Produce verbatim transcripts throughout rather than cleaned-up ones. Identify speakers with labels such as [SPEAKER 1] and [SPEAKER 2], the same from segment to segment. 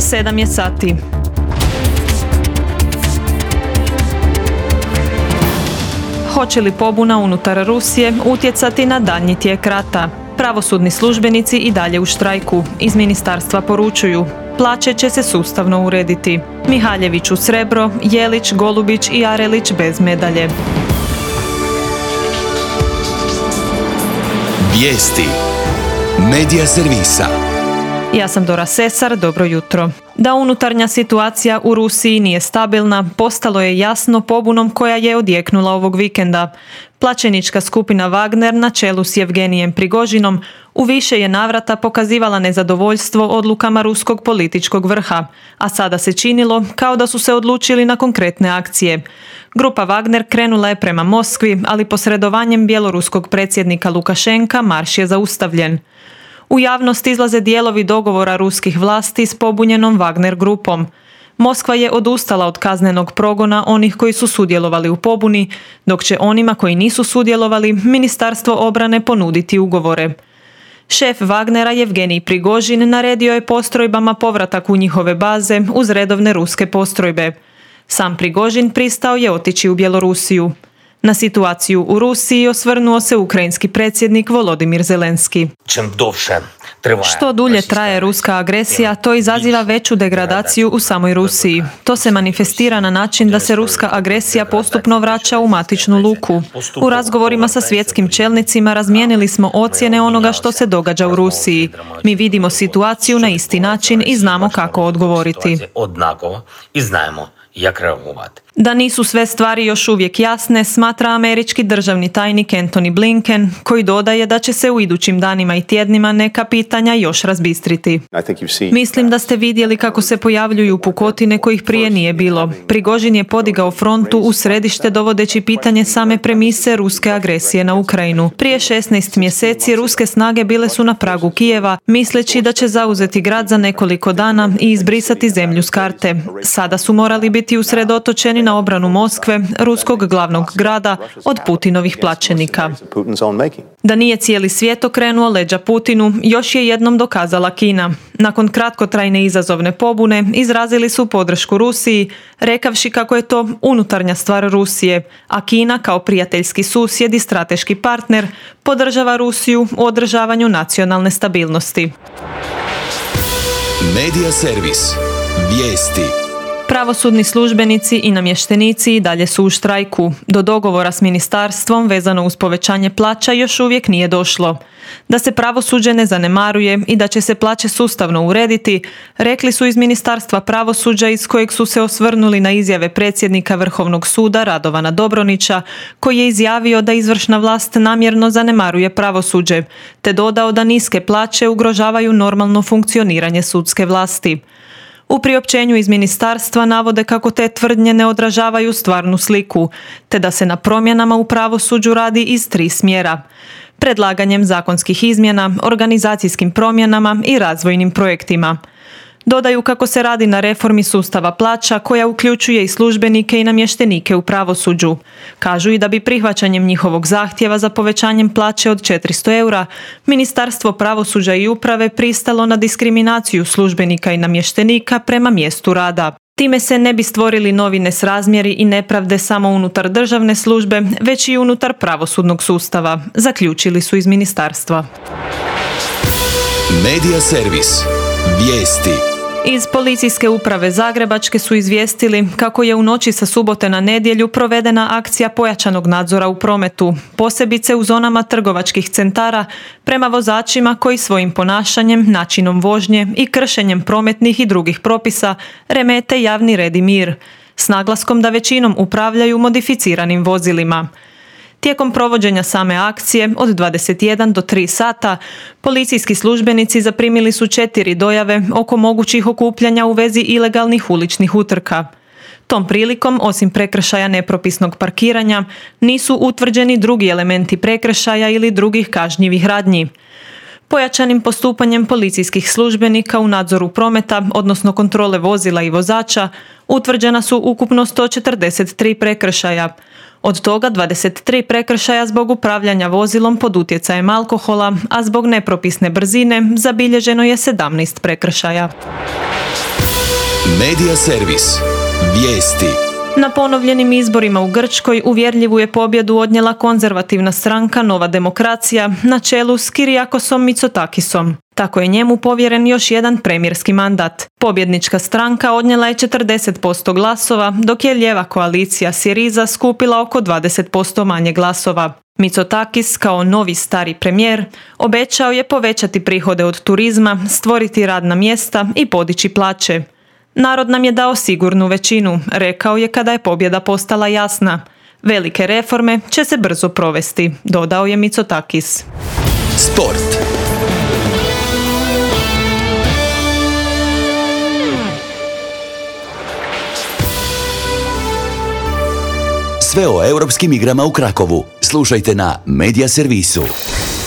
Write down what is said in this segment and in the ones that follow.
[SPEAKER 1] sedam je sati. Hoće li pobuna unutar Rusije utjecati na daljnji tijek rata? Pravosudni službenici i dalje u štrajku. Iz ministarstva poručuju: plaće će se sustavno urediti. Mihaljević u srebro, Jelić, Golubić i Arelić bez medalje.
[SPEAKER 2] Vijesti Medija servisa.
[SPEAKER 1] Ja sam Dora Sesar, dobro jutro. Da unutarnja situacija u Rusiji nije stabilna, postalo je jasno pobunom koja je odjeknula ovog vikenda. Plaćenička skupina Wagner na čelu s Jevgenijem Prigožinom u više je navrata pokazivala nezadovoljstvo odlukama ruskog političkog vrha, a sada se činilo kao da su se odlučili na konkretne akcije. Grupa Wagner krenula je prema Moskvi, ali posredovanjem bjeloruskog predsjednika Lukašenka marš je zaustavljen. U javnost izlaze dijelovi dogovora ruskih vlasti s pobunjenom Wagner grupom. Moskva je odustala od kaznenog progona onih koji su sudjelovali u pobuni, dok će onima koji nisu sudjelovali Ministarstvo obrane ponuditi ugovore. Šef Wagnera Jevgenij Prigožin naredio je postrojbama povratak u njihove baze uz redovne ruske postrojbe. Sam Prigožin pristao je otići u Bjelorusiju. Na situaciju u Rusiji osvrnuo se ukrajinski predsjednik Volodimir Zelenski. Što dulje traje ruska agresija, to izaziva veću degradaciju u samoj Rusiji. To se manifestira na način da se ruska agresija postupno vraća u matičnu luku. U razgovorima sa svjetskim čelnicima razmijenili smo ocjene onoga što se događa u Rusiji. Mi vidimo situaciju na isti način i znamo kako odgovoriti. Da nisu sve stvari još uvijek jasne, smatra američki državni tajnik Antony Blinken, koji dodaje da će se u idućim danima i tjednima neka pitanja još razbistriti. Mislim da ste vidjeli kako se pojavljuju pukotine kojih prije nije bilo. Prigožin je podigao frontu u središte dovodeći pitanje same premise ruske agresije na Ukrajinu. Prije šesnaest mjeseci ruske snage bile su na pragu Kijeva, misleći da će zauzeti grad za nekoliko dana i izbrisati zemlju s karte. Sada su morali biti usredotočeni na obranu Moskve, ruskog glavnog grada, od Putinovih plaćenika. Da nije cijeli svijet okrenuo leđa Putinu, još je jednom dokazala Kina. Nakon kratkotrajne izazovne pobune izrazili su podršku Rusiji, rekavši kako je to unutarnja stvar Rusije, a Kina kao prijateljski susjed i strateški partner podržava Rusiju u održavanju nacionalne stabilnosti.
[SPEAKER 2] Medija servis. Vijesti.
[SPEAKER 1] Pravosudni službenici i namještenici i dalje su u štrajku. Do dogovora s ministarstvom vezano uz povećanje plaća još uvijek nije došlo. Da se pravosuđe ne zanemaruje i da će se plaće sustavno urediti, rekli su iz Ministarstva pravosuđa, iz kojeg su se osvrnuli na izjave predsjednika Vrhovnog suda Radovana Dobronića, koji je izjavio da izvršna vlast namjerno zanemaruje pravosuđe, te dodao da niske plaće ugrožavaju normalno funkcioniranje sudske vlasti. U priopćenju iz ministarstva navode kako te tvrdnje ne odražavaju stvarnu sliku, te da se na promjenama u pravosuđu radi iz tri smjera: predlaganjem zakonskih izmjena, organizacijskim promjenama i razvojnim projektima. Dodaju kako se radi na reformi sustava plaća koja uključuje i službenike i namještenike u pravosuđu. Kažu i da bi prihvaćanjem njihovog zahtjeva za povećanjem plaće od četiristo eura, Ministarstvo pravosuđa i uprave pristalo na diskriminaciju službenika i namještenika prema mjestu rada. Time se ne bi stvorili novi nesrazmjeri i nepravde samo unutar državne službe, već i unutar pravosudnog sustava, zaključili su iz ministarstva.
[SPEAKER 2] Medija servis. Vijesti.
[SPEAKER 1] Iz policijske uprave Zagrebačke su izvijestili kako je u noći sa subote na nedjelju provedena akcija pojačanog nadzora u prometu, posebice u zonama trgovačkih centara, prema vozačima koji svojim ponašanjem, načinom vožnje i kršenjem prometnih i drugih propisa remete javni red i mir, s naglaskom da većinom upravljaju modificiranim vozilima. Tijekom provođenja same akcije od dvadeset jedan do tri sata policijski službenici zaprimili su četiri dojave oko mogućih okupljanja u vezi ilegalnih uličnih utrka. Tom prilikom, osim prekršaja nepropisnog parkiranja, nisu utvrđeni drugi elementi prekršaja ili drugih kažnjivih radnji. Pojačanim postupanjem policijskih službenika u nadzoru prometa, odnosno kontrole vozila i vozača, utvrđena su ukupno sto četrdeset tri prekršaja. Od toga dvadeset tri prekršaja zbog upravljanja vozilom pod utjecajem alkohola, a zbog nepropisne brzine zabilježeno je sedamnaest prekršaja.
[SPEAKER 2] Medija servis. Vijesti.
[SPEAKER 1] Na ponovljenim izborima u Grčkoj uvjerljivu je pobjedu odnijela konzervativna stranka Nova demokracija na čelu s Kirijakosom Mitsotakisom. Tako je njemu povjeren još jedan premijerski mandat. Pobjednička stranka odnijela je četrdeset posto glasova, dok je lijeva koalicija Syriza skupila oko dvadeset posto manje glasova. Mitsotakis kao novi stari premijer obećao je povećati prihode od turizma, stvoriti radna mjesta i podići plaće. Narod nam je dao sigurnu većinu, rekao je kada je pobjeda postala jasna. Velike reforme će se brzo provesti, dodao je Mitsotakis.
[SPEAKER 2] Sport. Sve o europskim igrama u Krakovu. Slušajte na Medija servisu.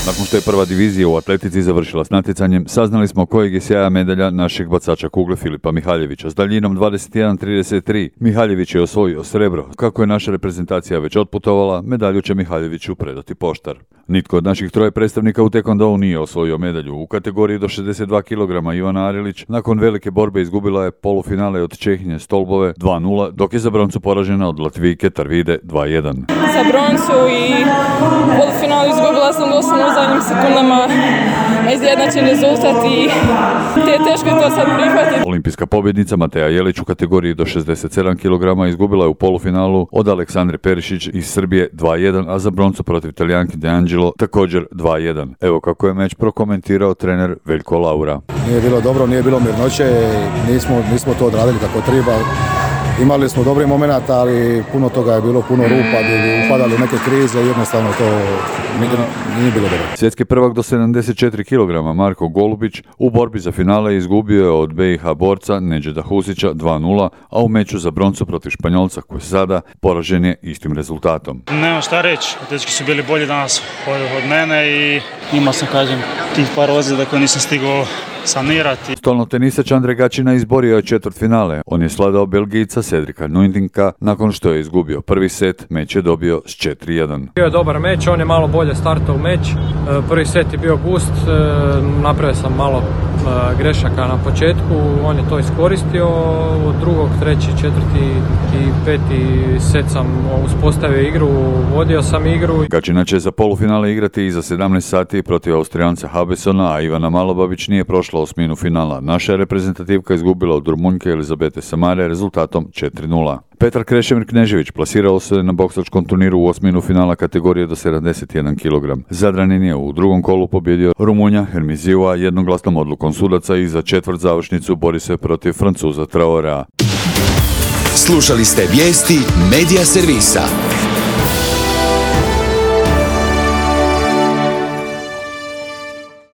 [SPEAKER 3] Nakon što je prva divizija u atletici završila s natjecanjem, saznali smo kojeg je sjaja medalja našeg bacača kugle Filipa Mihaljevića. S daljinom dvadeset jedan trideset tri Mihaljević je osvojio srebro. Kako je naša reprezentacija već otputovala, medalju će Mihaljeviću predati poštar. Nitko od naših troje predstavnika u tekvondou nije osvojio medalju. U kategoriji do šezdeset dva kilograma Ivana Arilić nakon velike borbe izgubila je polufinale od Čehinje Stolbove dva nula, dok je za broncu poražena od Latvijke Tarvide dva jedan.
[SPEAKER 4] Za broncu i polufinalu izgubila sam doslovno u zadnjim sekundama izjednačen rezultat i te je teško to sad prihvatiti.
[SPEAKER 3] Olimpijska pobjednica Mateja Jelić u kategoriji do šezdeset sedam kilograma izgubila je u polufinalu od Aleksandre Perišić iz Srbije dva jedan, a za broncu protiv Talijanke De Angelo također dva jedan. Evo kako je meč prokomentirao trener Veljko Laura.
[SPEAKER 5] Nije bilo dobro, nije bilo mirnoće, nismo, nismo to odradili kako treba. Imali smo dobrih momenata, ali puno toga je bilo, puno rupa, gdje bi upadali neke krize i jednostavno to nije, nije bilo dobro.
[SPEAKER 3] Svjetski prvak do sedamdeset četiri kilograma Marko Golubić u borbi za finale izgubio je od B i H borca Nedžeda Husića dva nula, a u meču za broncu protiv Španjolca Quesada poražen je istim rezultatom.
[SPEAKER 6] Nema šta reći, dečki su bili bolji danas od, od mene i imao sam, kažem, tih par ozljeda koje nisam stigao sanirati.
[SPEAKER 3] Stolno tenisač Andrej Gačina izborio je četvrt finale. On je sladao Belgijca Cedrika Nuindinka. Nakon što je izgubio prvi set, meč je dobio s četiri jedan.
[SPEAKER 7] Bio je dobar meč, on je malo bolje startao u meč. Prvi set je bio gust, napravio sam malo grešaka na početku, on je to iskoristio. Od drugog, treći, četvrti i peti set sam uspostavio igru, vodio sam igru.
[SPEAKER 3] Gačina će za polufinale igrati i za sedamnaest sati protiv Austrijanca Habesona, a Ivana Malobabić nije prošla osminu finala. Naša je reprezentativka izgubila od Rumunjke Elizabete Samare rezultatom četiri nula. Petar Krešimir Knežević plasirao se na boksačkom turniru u osminu finala kategorije do sedamdeset jedan kilogram. Zadranin je u drugom kolu pobjedio Rumunja Hermizijua jednoglasnom odlukom sudaca i za četvrt završnicu bori se protiv Francuza Traorea.
[SPEAKER 2] Slušali ste vijesti Medija servisa.